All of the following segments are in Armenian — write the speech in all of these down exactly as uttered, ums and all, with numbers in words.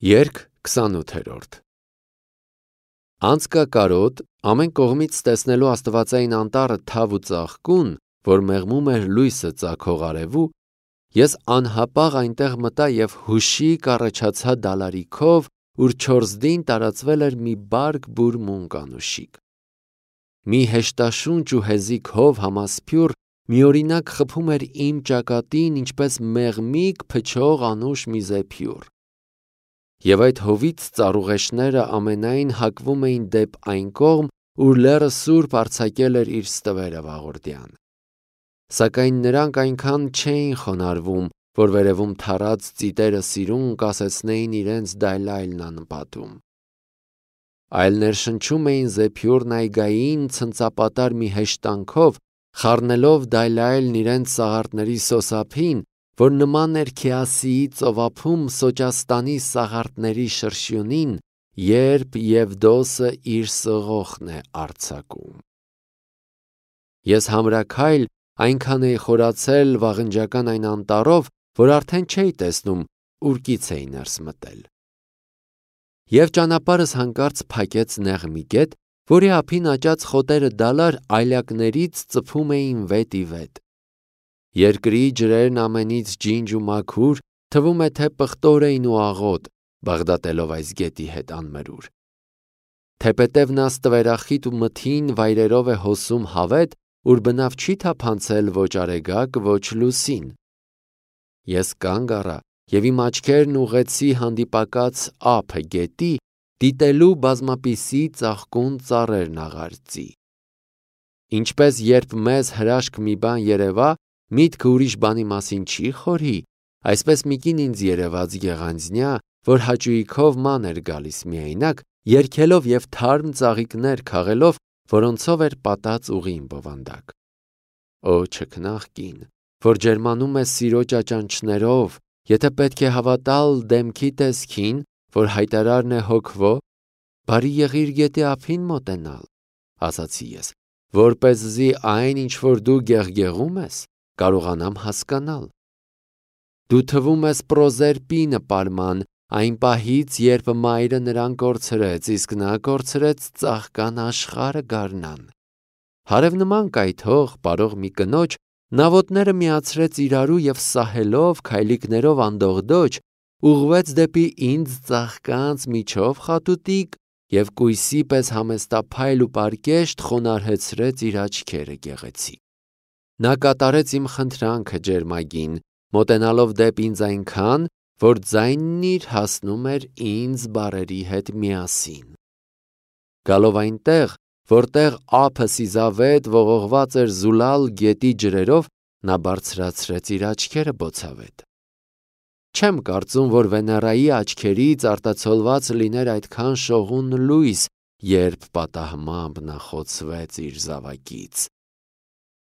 Երգ քսանութերորդ Անցկակարոտ, ամեն կողմից տեսնելու աստվածային անտառը թավ ու ծաղկուն, որ մեղմում էր լույսը ծագող արևու, ես անհապաղ այնտեղ մտա և հուշիկ առաջացա դալարիքով, ուր չորսդին տարածվել էր մի բարգ բուր մունկանուշիկ։ Մի հեշտաշունչ ու հեզիք հով համասփյուռ միօրինակ խփում էր իմ ճակատին, ինչպես մեղմիկ փչող անուշ մի զեփյուռ։ Եվ այդ հովից ծառուղեշները ամենայն հակվում էին դեպ այն կողմ, ուր լեռը սուրբ արձակել էր իր ստվերը վաղորդյան։ Սակայն նրանք այնքան չէին խոնարհվում, որ վերևում թառած ծիտերը սիրուն կասեցնեին իրենց դայլայլն անպատում։ Այլ ներշնչում էին զեփյուռն այգային ցնծապատար մի հեշտանքով, խառնելով դայլայլն իրենց սաղարթների սոսափին, որ նման էր Քեասիի ծովափում Սոճաստանի սաղարթների շրշյունին, երբ Եվդոսը իր սղոխն է արձակում։ Ես համրաքայլ այնքան էի խորացել վաղնջական այն անտառով, որ արդեն չէի տեսնում ուր կից էի ներս մտել։ Եվ ճանապարհս հանկարծ փակեց նեղ մի գետ, որի ափին աճած խոտերը դալար այլակներից ծփում էին վետ ի վետ։ Երկրի ջրերն ամենից ջինջ ու մաքուր, թվում է թե պղտոր էին ու աղոտ, բաղդատելով այս գետի հետ անմրուր։ Թեպետև նա ստվերախիտ ու մթին վայրերով է հոսում հավետ, ուր բնավ չի թափանցել ոչ արեգակ, ոչ լուսին։ Ես կանգ առա և իմ աչքերն ուղղեցի հանդիպակաց ափը գետի, դիտելու բազմապիսի ծաղկուն ծառերն աղարծի։ Ինչպես երբ մեզ հրաշք մի բան երևա, միտքը ուրիշ բանի մասին չի խորհի, այսպես մի կին ինձ երևաց գեղանձնյա, որ հաճույքով ման էր գալիս միայնակ, երգելով և թարմ ծաղիկներ քաղելով, որոնցով էր պատած ուղին բովանդակ։ Օ չքնաղ կին, որ ջերմանում է սիրո ճաճանչներով, եթե պետք է հավատալ դեմքի տեսքին, որ հայտարարն է հոգվո, բարի եղիր գետի ափին մոտենալ, ասացի ես, որպեսզի այն, ինչ որ դու գեղգեղում ես, կարողանամ հասկանալ։ Դու թվում ես Պրոզերպինը պարման, այն պահից, երբ մայրը նրան կորցրեց, իսկ նա կորցրեց ծաղկան աշխարհը գարնան։ Հարևնման կայթող, պարող մի կնոջ, նա ոտները միացրեց իրարու և սահելով, քայլիկներով անդողդոջ, ուղղվեց դեպի ինձ ծաղկանց միջով խատուտիկ և կույսի պես համեստափայլ ու պարկեշտ խոնարհեցրեց իր աչքերը գեղեցիկ։ Նա կատարեց իմ խնդրանքը ջերմագին, մոտենալով դեպ ինձ այնքան, որ ձայնն իր հասնում էր ինձ բառերի հետ միասին։ Գալով այնտեղ, որտեղ ափը սիզավետ ողողված էր զուլալ գետի ջրերով, նա բարձրացրեց իր աչքերը բոցավետ։ Չեմ կարծում, որ Վեներայի աչքերից արտացոլված լիներ այդքան շողուն լույս, երբ պատահմամբ նա խոցվեց իր զավակից։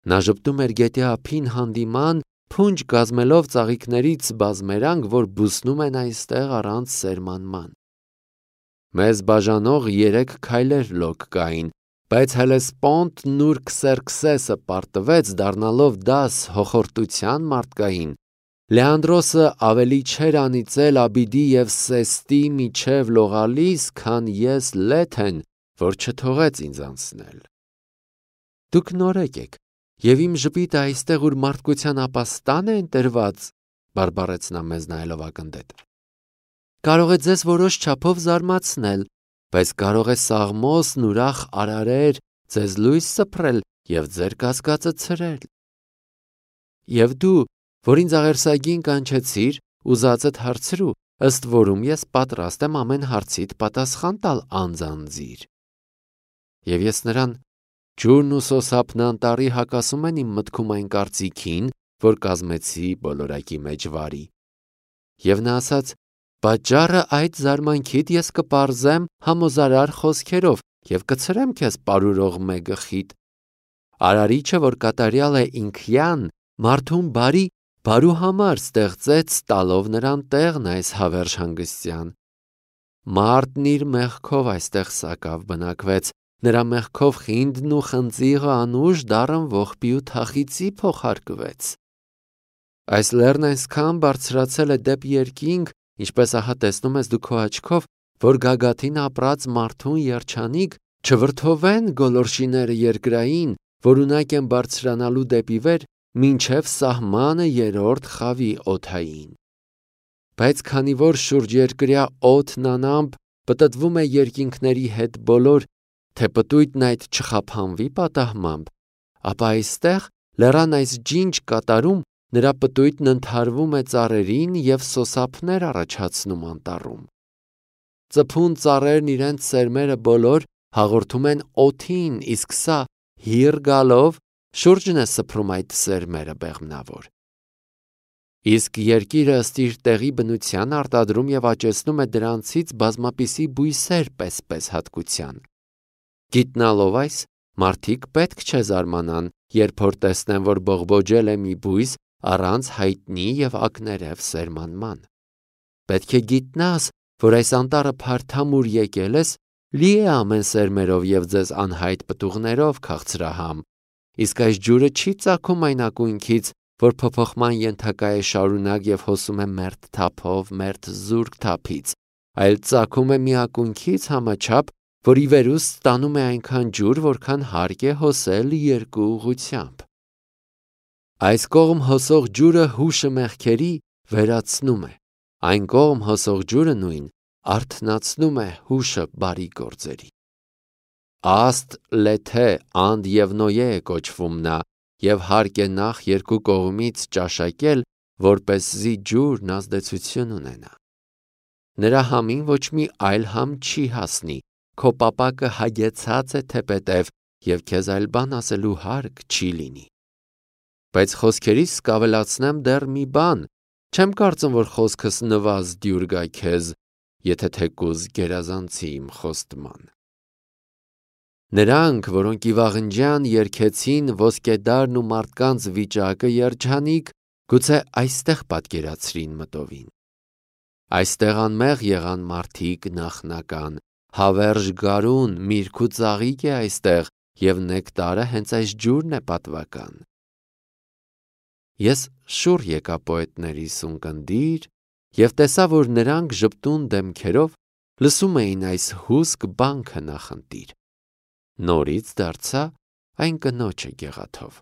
Նա ժպտում էր գետի ափին հանդիման, փունջ կազմելով ծաղիկներից բազմերանգ, որ բուսնում են այստեղ առանց սերմանման։ Մեզ բաժանող երեք քայլեր լոկ կային, բայց Հելեսպոնտն ուր Քսերքսեսը պարտվեց, դառնալով դաս հոխորտության մարդկային, Լեանդրոսը ավելի չէր անիծել Աբիդի և Սեստի միջև լողալիս, քան ես Լեթեն, որ չթողեց ինձ անցնել։ Դուք նորեկ եք, և իմ ժպիտը այստեղ, ուր մարդկության ապաստան է ընտրված, բարբառեց նա մեզ նայելով ակնթեթ, կարող է ձեզ որոշ չափով զարմացնել, բայց կարող է սաղմոսն ուրախ արարեր ձեզ լույս սփռել և ձեր կասկածը ցրել։ Եվ դու, որ ինձ աղերսագին կանչեցիր, ուզածդ հարցրու, ըստ որում ես պատրաստ եմ ամեն հարցիդ պատասխան տալ անձանձիր։ Եվ ես նրան ջուրն ու սոսափն անտառի հակասում են իմ մտքում այն կարծիքին, որ կազմեցի բոլորակի մեջ վարի։ Եվ նա ասաց. պատճառը այդ զարմանքիդ ես կպարզեմ համոզարար խոսքերով և կցրեմ քեզ պարուրող մե գլխիդ։ Արարիչը, որ կատարյալ է ինքյան, մարդուն բարի բարու համար ստեղծեց, տալով նրան տեղն այս հավերժ հանգստյան։ Մարդն իր մեղքով այստեղ սակավ բնակվեց, նրա մեղքով խինդն ու խնձիղը անուշ դառն ողբի ու թախիծի փոխարկվեց։ Այս լեռն այսքան բարձրացել է դեպ երկինք, ինչպես ահա տեսնում ես դու քո աչքով, որ գագաթին ապրած մարդուն երջանիկ չվրդովեն գոլորշիները երկրային, որ ունակ են բարձրանալու դեպի վեր, մինչև սահմանը երրորդ խավի օդային։ Բայց քանի որ շուրջերկրյա օդն անամպ պտտվում է երկինքների հետ բոլոր, թե պտույտն այդ չխափանվի պատահմամբ, ապա այստեղ լեռան այս ջինջ կատարում նրա պտույտն ընդհարվում է ծառերին և սոսափներ առաջացնում անտառում։ Ծփուն ծառերն իրենց սերմերը բոլոր հաղորդում են օդին, իսկ սա հիր գալով շուրջն է սփռում այդ սերմերը բեղմնավոր։ Իսկ երկիրը ըստ իր տեղի բնության արտադրում և աճեցնում է դրանցից բազմապիսի բույսեր պես-պես հատկության։ Գիտնալով այս, մարդիկ պետք չէ զարմանան, երբ որ տեսնեն, որ բողբոջել է մի բույս առանց հայտնի և ակներև սերմանման։ Պետք է գիտնաս, որ այս անտառը փարթամուր եկել ես, լի է ամեն սերմերով և ձեզ անհայտ պտուղներով քաղցրահամ, իսկ այս ջուրը չի ծագում այն ակունքից, որ փոփոխման ենթակա է շարունակ և հոսում է մերթ թափով, մերթ զուրկ թափից, այլ ծագում է մի ակունքից համաչափ, որ ի վերուս ստանում է այնքան ջուր, որքան հարկ է հոսել երկու ուղղությամբ։ Այս կողմ հոսող ջուրը հուշը մեղքերի վերացնում է, այն կողմ հոսող ջուրը նույն արթնացնում է հուշը բարի գործերի։ Աստ լեթե անդ և նոյե է կոչվում նա, և հարկ է նախ երկու կողմից ճաշակել, որպեսզի ջուրն ազդեցություն ունենա։ Նրա համին ոչ մի այլ համ չի հասնի, քո պապակը հագեցած է թեպետև, և քեզ այլ բան ասելու հարկ չի լինի։ Բայց խոսքերիս կավելացնեմ դեռ մի բան, չեմ կարծում, որ խոսքս նվազդյուր գա քեզ, եթե թեկուզ գերազանցի իմ խոստման։ Նրանք, որոնք ի վաղնջյան երգեցին ոսկեդարն ու մարդկանց վիճակը երջանիկ, գուցե այստեղ պատկերացրին մտովին։ Այստեղ անմեղ եղան մարդիկ նախնական, հավերժ գարուն, միրգ ու ծաղիկ է այստեղ, և նեկտարը հենց այս ջուրն է պատվական։ Ես շուռ եկա պոետներիս ունկնդիր և տեսա, որ նրանք ժպտուն դեմքերով լսում էին այս հուսք բանքը նախընտիր։ Նորից դարձա այն կնոջը գեղաթով։